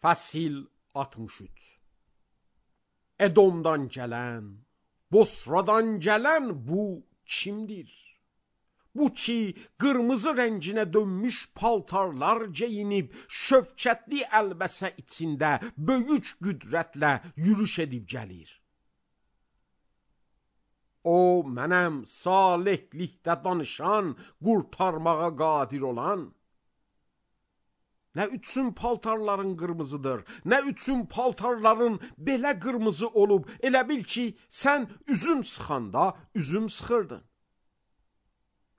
Fəsil 63. Edomdan gələn, Bosradan gələn bu kimdir? Bu ki, qırmızı rənginə dönmüş paltarlar geyinib, şövkətli əlbəsə içində böyük qüdrətlə yürüş edib gəlir. O, mənəm salihlikdə danışan, qurtarmağa qadir olan. Nə üçün paltarların qırmızıdır, nə üçün paltarların belə qırmızı olub, elə bil ki, sən üzüm sıxanda üzüm sıxırdın.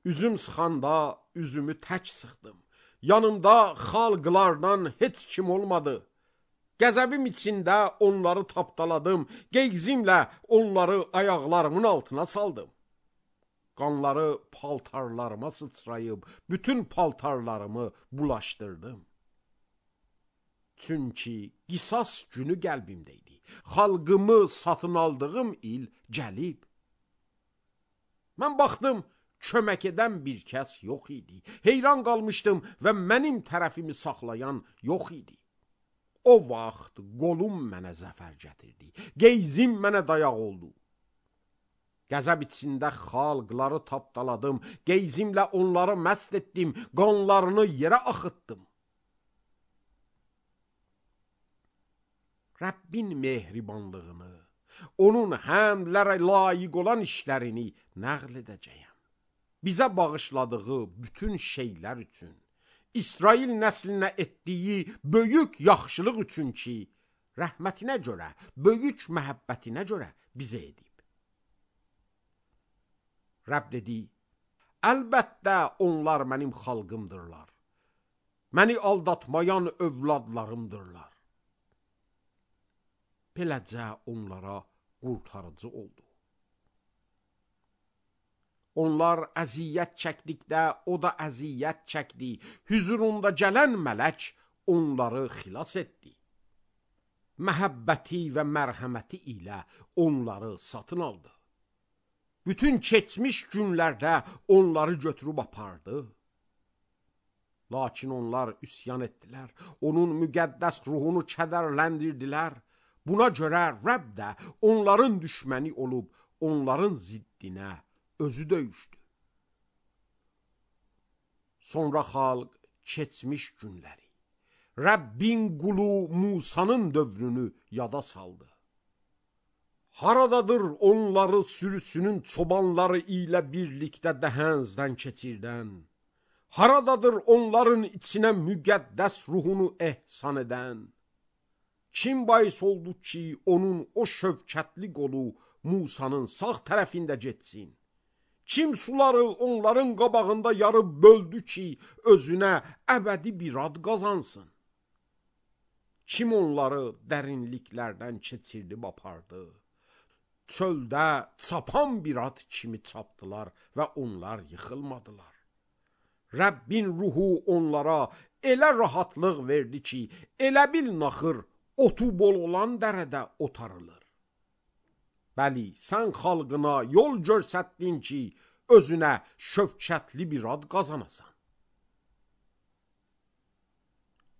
Üzüm sıxanda üzümü tək sıxdım. Yanımda xalqlardan heç kim olmadı. Qəzəbim içində onları tapdaladım, qeyzimlə onları ayaqlarımın altına saldım. Qanları paltarlarıma sıçrayıb, bütün paltarlarımı bulaşdırdım. Çünki qisas günü qəlbimdə idi. Xalqımı satın aldığım il gəlib. Mən baxdım, kömək edən bir kəs yox idi. Heyran qalmışdım və mənim tərəfimi saxlayan yox idi. O vaxt qolum mənə zəfər gətirdi. Qeyzim mənə dayaq oldu. Qəzəb içində xalqları tapdaladım. Qeyzimlə onları məst etdim. Qanlarını yerə axıtdım. Rəbbin mehribanlığını, onun həmdlərə layiq olan işlərini nəql edəcəyəm. Bizə bağışladığı bütün şeylər üçün, İsrail nəslinə etdiyi böyük yaxşılıq üçün ki, rəhmətinə görə, böyük məhəbbətinə görə bizə edib. Rəbb dedi, əlbəttə onlar mənim xalqımdırlar. Məni aldatmayan övladlarımdırlar. Beləcə onlara qurtarıcı oldu. Onlar əziyyət çəkdikdə o da əziyyət çəkdi. Hüzurunda gələn mələk onları xilas etdi. Məhəbbəti və mərhəməti ilə onları satın aldı. Bütün keçmiş günlərdə onları götürüb apardı. Lakin onlar üsyan etdilər. Onun müqəddəs ruhunu kədərləndirdilər. Buna görə Rəbb də onların düşməni olub, onların ziddinə özü döyüşdü. Sonra xalq keçmiş günləri, Rəbbin qulu Musanın dövrünü yada saldı. Haradadır onları sürüsünün çobanları ilə birlikdə dəhəzdən keçirdən? Haradadır onların içinə müqəddəs ruhunu ehsan edən? Kim bahis oldu ki, onun o şövkətli qolu Musanın sağ tərəfində getsin? Kim suları onların qabağında yarıb böldü ki, özünə əbədi bir ad qazansın? Kim onları dərinliklərdən keçirdib apardı? Çöldə çapan bir at kimi çapdılar və onlar yıxılmadılar. Rəbbin ruhu onlara elə rahatlıq verdi ki, elə bil naxır otu bol olan dərədə otarılır. Bəli, sən xalqına yol görsətdin ki, özünə şövkətli bir ad qazanasan.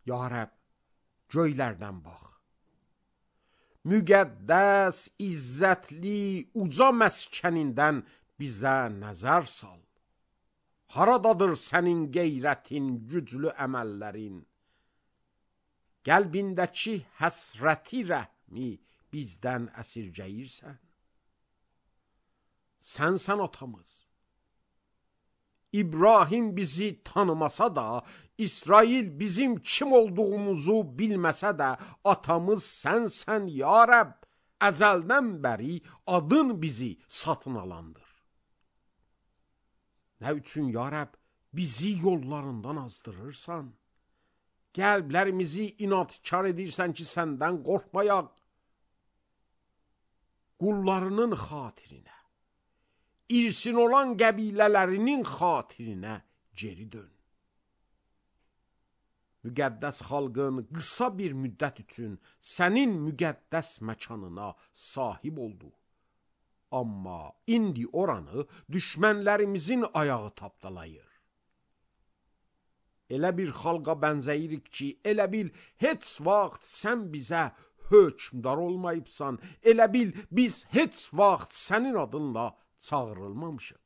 Ya Rəbb, göylərdən bax. Müqəddəs, izzətli, uca məskənindən bizə nəzər sal. Haradadır sənin qeyrətin, güclü əməllərin? Qəlbindəki həsrəti rəhmi bizdən əsirgəyirsən. Sənsən atamız. İbrahim bizi tanımasa da, İsrail bizim kim olduğumuzu bilməsə də, atamız sənsən ya Rəbb. Əzəldən bəri adın bizi satın alandır. Nə üçün ya Rəbb bizi yollarından azdırırsan? Qəlblərimizi inadkar edirsən ki, səndən qorxmayaq. Qullarının xatirinə, irsin olan qəbilələrinin xatirinə geri dön. Müqəddəs xalqın qısa bir müddət üçün sənin müqəddəs məkanına sahib oldu. Amma indi oranı düşmənlərimizin ayağı tapdalayır. Elə bir xalqa bənzəyirik ki, elə bil heç vaxt sən bizə hökmdar olmayıbsan, elə bil biz heç vaxt sənin adınla çağırılmamışıq.